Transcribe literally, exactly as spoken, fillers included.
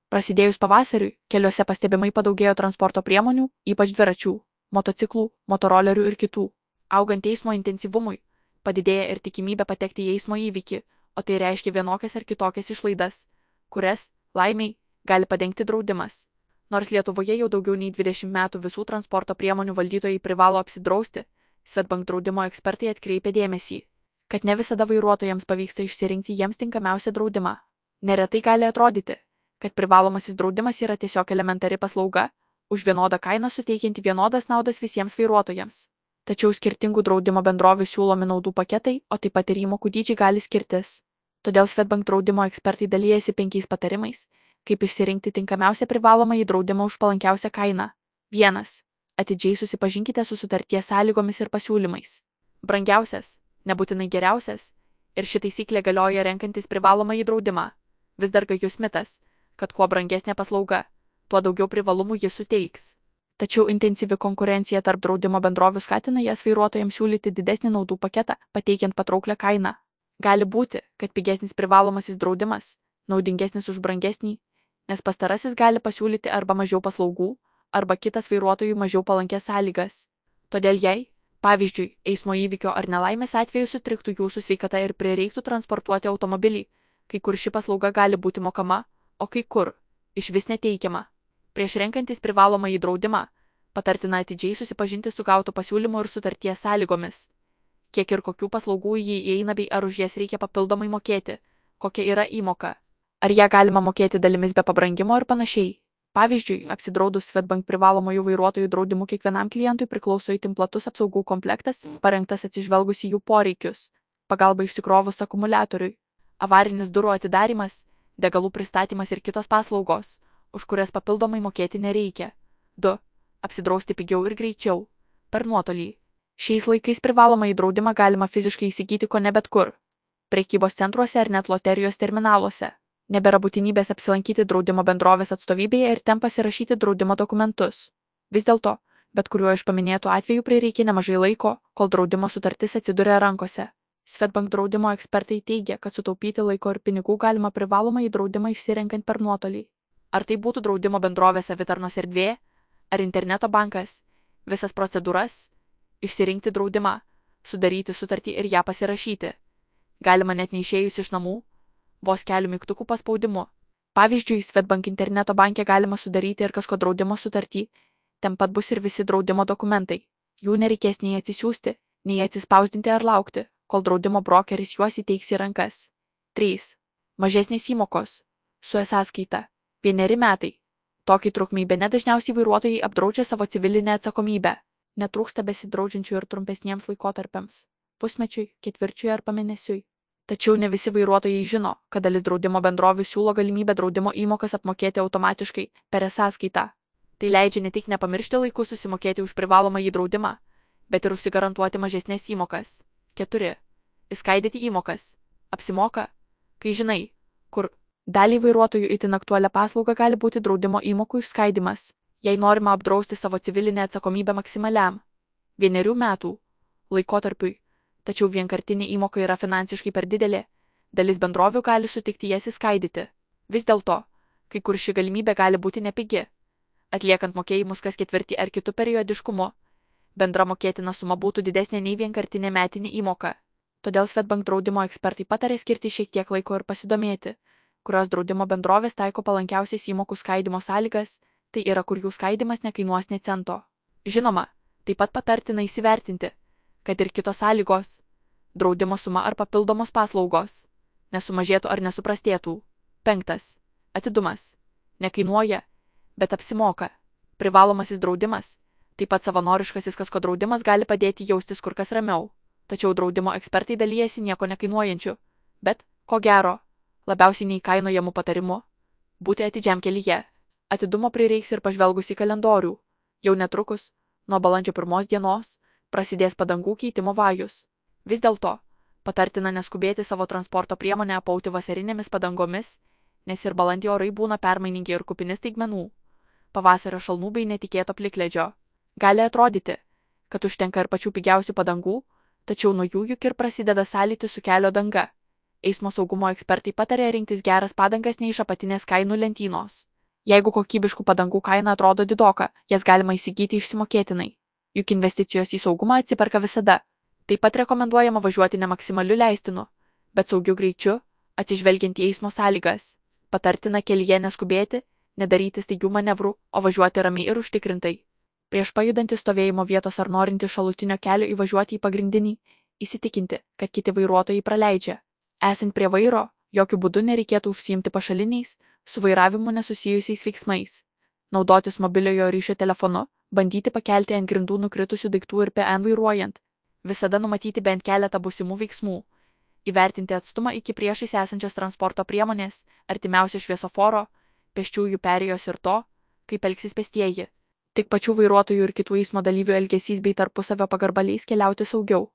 Prasidėjus pavasariui, keliuose pastebimai padaugėjo transporto priemonių, ypač dviračių, motociklų, motorolerių ir kitų. Augant eismo intensyvumui, padidėja ir tikimybė patekti į eismo įvykį, o tai reiškia vienokias ar kitokias išlaidas, kurias, laimiai, gali padengti draudimas. Nors Lietuvoje jau daugiau nei dvidešimt metų visų transporto priemonių valdytojai privalo apsidrausti, Swedbank draudimo ekspertai atkreipia dėmesį, kad ne visada vairuotojams pavyksta išsirinkti jiems tinkamiausią draudimą. Neretai gali atrodyti, kad privalomasis draudimas yra tiesiog elementari paslauga, už vienodą kainą suteikianti vienodas naudas visiems vairuotojams. Tačiau skirtingų draudimo bendrovių siūlomi naudų paketai, o taip pat ir įmokų dydžiai gali skirtis. Todėl Swedbank draudimo ekspertai dalyjasi penkiais patarimais, kaip išsirinkti tinkamiausią privalomąjį draudimą už palankiausią kainą. vienas. Atidžiai susipažinkite su sutarties sąlygomis ir pasiūlymais. Brangiausias, nebūtinai geriausias, ir ši taisyklė galioja renkantis privalomąjį draudimą. Vis dar gajus mitas, kad kuo brangesnė paslauga, tuo daugiau privalumų jis suteiks. Tačiau intensyvi konkurencija tarp draudimo bendrovių skatina jas vairuotojams siūlyti didesnį naudų paketą, pateikiant patrauklę kainą. Gali būti, kad pigesnis privalomasis draudimas naudingesnis už brangesnį, nes pastarasis gali pasiūlyti arba mažiau paslaugų, arba kitas vairuotojui mažiau palankės sąlygas. Todėl jei, pavyzdžiui, eismo įvykio ar nelaimės atveju sutriktų jūsų sveikata ir prireiktų transportuoti automobilį, kai kur ši paslauga gali būti mokama, o kai kur iš vis neteikiama. Prieš renkantis privalomąjį draudimą, patartina atidžiai susipažinti su gautu pasiūlymu ir sutarties sąlygomis. Kiek ir kokių paslaugų į jį įeina bei ar už jas reikia papildomai mokėti, kokia yra įmoka, ar ją galima mokėti dalimis be pabrangimo ir panašiai. Pavyzdžiui, apsidraudus Swedbank privalomųjų vairuotojų draudimų kiekvienam klientui priklauso itin platus apsaugų komplektas, parengtas atsižvelgus į jų poreikius, pagalba išsikrovus akumuliatoriui, avarinis durų atidarimas, degalų pristatymas ir kitos paslaugos, už kurias papildomai mokėti nereikia. du. Apsidrausti pigiau ir greičiau. Per nuotolį. Šiais laikais privalomąjį draudimą galima fiziškai įsigyti ko ne bet kur. Prekybos centruose ar net loterijos terminaluose. Nebėra būtinybės apsilankyti draudimo bendrovės atstovybėje ir ten pasirašyti draudimo dokumentus. Vis dėlto, bet kuriuo iš paminėtų atvejų prireikia nemažai laiko, kol draudimo sutartis atsiduria rankose. Swedbank draudimo ekspertai teigia, kad sutaupyti laiko ir pinigų galima privalomąjį draudimą išsirenkant per nuotolį. Ar tai būtų draudimo bendrovės savitarnos erdvė, ar interneto bankas, visas procedūras, išsirinkti draudimą, sudaryti sutartį ir ją pasirašyti. Galima net neišėjus iš namų, vos kelių mygtukų paspaudimu. Pavyzdžiui, Swedbank interneto banke galima sudaryti ir kasko draudimo sutartį, ten pat bus ir visi draudimo dokumentai. Jų nereikės nei atsisiųsti, nei atsispausdinti ar laukti, kol draudimo brokeris juos įteiks į rankas. trys. Mažesnės įmokos. Su e-sąskaita. Vieneri metai. Tokiai trukmei bene dažniausiai vairuotojai apdraudžia savo civilinę atsakomybę. Netrūksta besidraudžiančių ir trumpesniems laikotarpiams – pusmečiui, ketvirčiui ar pamėnesiui. Tačiau ne visi vairuotojai žino, kad dalis draudimo bendrovių siūlo galimybę draudimo įmokas apmokėti automatiškai per e-sąskaitą. Tai leidžia ne tik nepamiršti laiku susimokėti už privalomąjį draudimą, bet ir užsigarantuoti mažesnės įmokas. keturi. Įskaidyti įmokas. Apsimoka, kai žinai, kur. Daliai vairuotojų itin aktualią paslaugą gali būti draudimo įmokų išskaidimas, jei norima apdrausti savo civilinę atsakomybę maksimaliam vienerių metų laikotarpiui, tačiau vienkartinė įmoka yra finansiškai per didelė, dalis bendrovių gali sutikti jas įskaidyti. Vis dėlto, kai kur ši galimybė gali būti nepigi. Atliekant mokėjimus kas ketvirtį ar kitų periodiškumu, bendra mokėtina suma būtų didesnė nei vienkartinė metinė įmoka. Todėl Swedbank draudimo ekspertai patarė skirti šiek tiek laiko ir pasidomėti, kurios draudimo bendrovės taiko palankiausias įmokų skaidimo sąlygas, tai yra kur jų skaidimas nekainuos nė cento. Žinoma, taip pat patartina įsivertinti, kad ir kitos sąlygos, draudimo suma ar papildomos paslaugos, nesumažėtų ar nesuprastėtų. penktas. Atidumas. Nekainuoja, bet apsimoka. Privalomasis draudimas, taip pat savanoriškasis kasko draudimas gali padėti jaustis kur kas ramiau, tačiau draudimo ekspertai dalyjasi nieko nekainuojančiu, bet, ko gero, labiausiai neįkainojamų patarimų – būti atidžiam kelyje. Atidumo prireiks ir pažvelgus į kalendorių. Jau netrukus, nuo balandžio pirmos dienos, prasidės padangų keitimo vajus. Vis dėlto, patartina neskubėti savo transporto priemonę apauti vasarinėmis padangomis, nes ir balandį orai būna permainingi ir kupini staigmenų, pavasario šalnų bei netikėto plikledžio. Gali atrodyti, kad užtenka ir pačių pigiausių padangų, tačiau nuo jų juk ir prasideda sąlytis su kelio danga. Eismo saugumo ekspertai patarė rinktis geras padangas ne iš apatinės kainų lentynos, Jeigu kokybiškų padangų kaina atrodo didoka, jas galima įsigyti išsimokėtinai. Juk investicijos į saugumą atsiperka visada. Taip pat rekomenduojama važiuoti ne maksimaliu leistinu, bet saugiu greičiu, atsižvelgiant į eismo sąlygas. Patartina kelyje neskubėti, nedaryti staigių manevrų, o važiuoti ramiai ir užtikrintai. Prieš pajudantį stovėjimo vietos ar norinti šalutinio kelio įvažiuoti į pagrindinį, įsitikinti, kad kiti vairuotojai praleidžia. Esant prie vairo, jokių būdų nereikėtų užsiimti pašaliniais, su vairavimu nesusijusiais veiksmais. Naudotis mobiliojo ryšio telefonu, bandyti pakelti ant grindų nukritusių daiktų ir P N vairuojant. Visada numatyti bent keletą būsimų veiksmų. Įvertinti atstumą iki priešais esančios transporto priemonės, artimiausio šviesoforo, pėsčiųjų perėjos ir to, kaip elgsis pėstieji. Tik pačių vairuotojų ir kitų eismo dalyvių elgesys bei tarpusavio pagarba leis keliauti saugiau.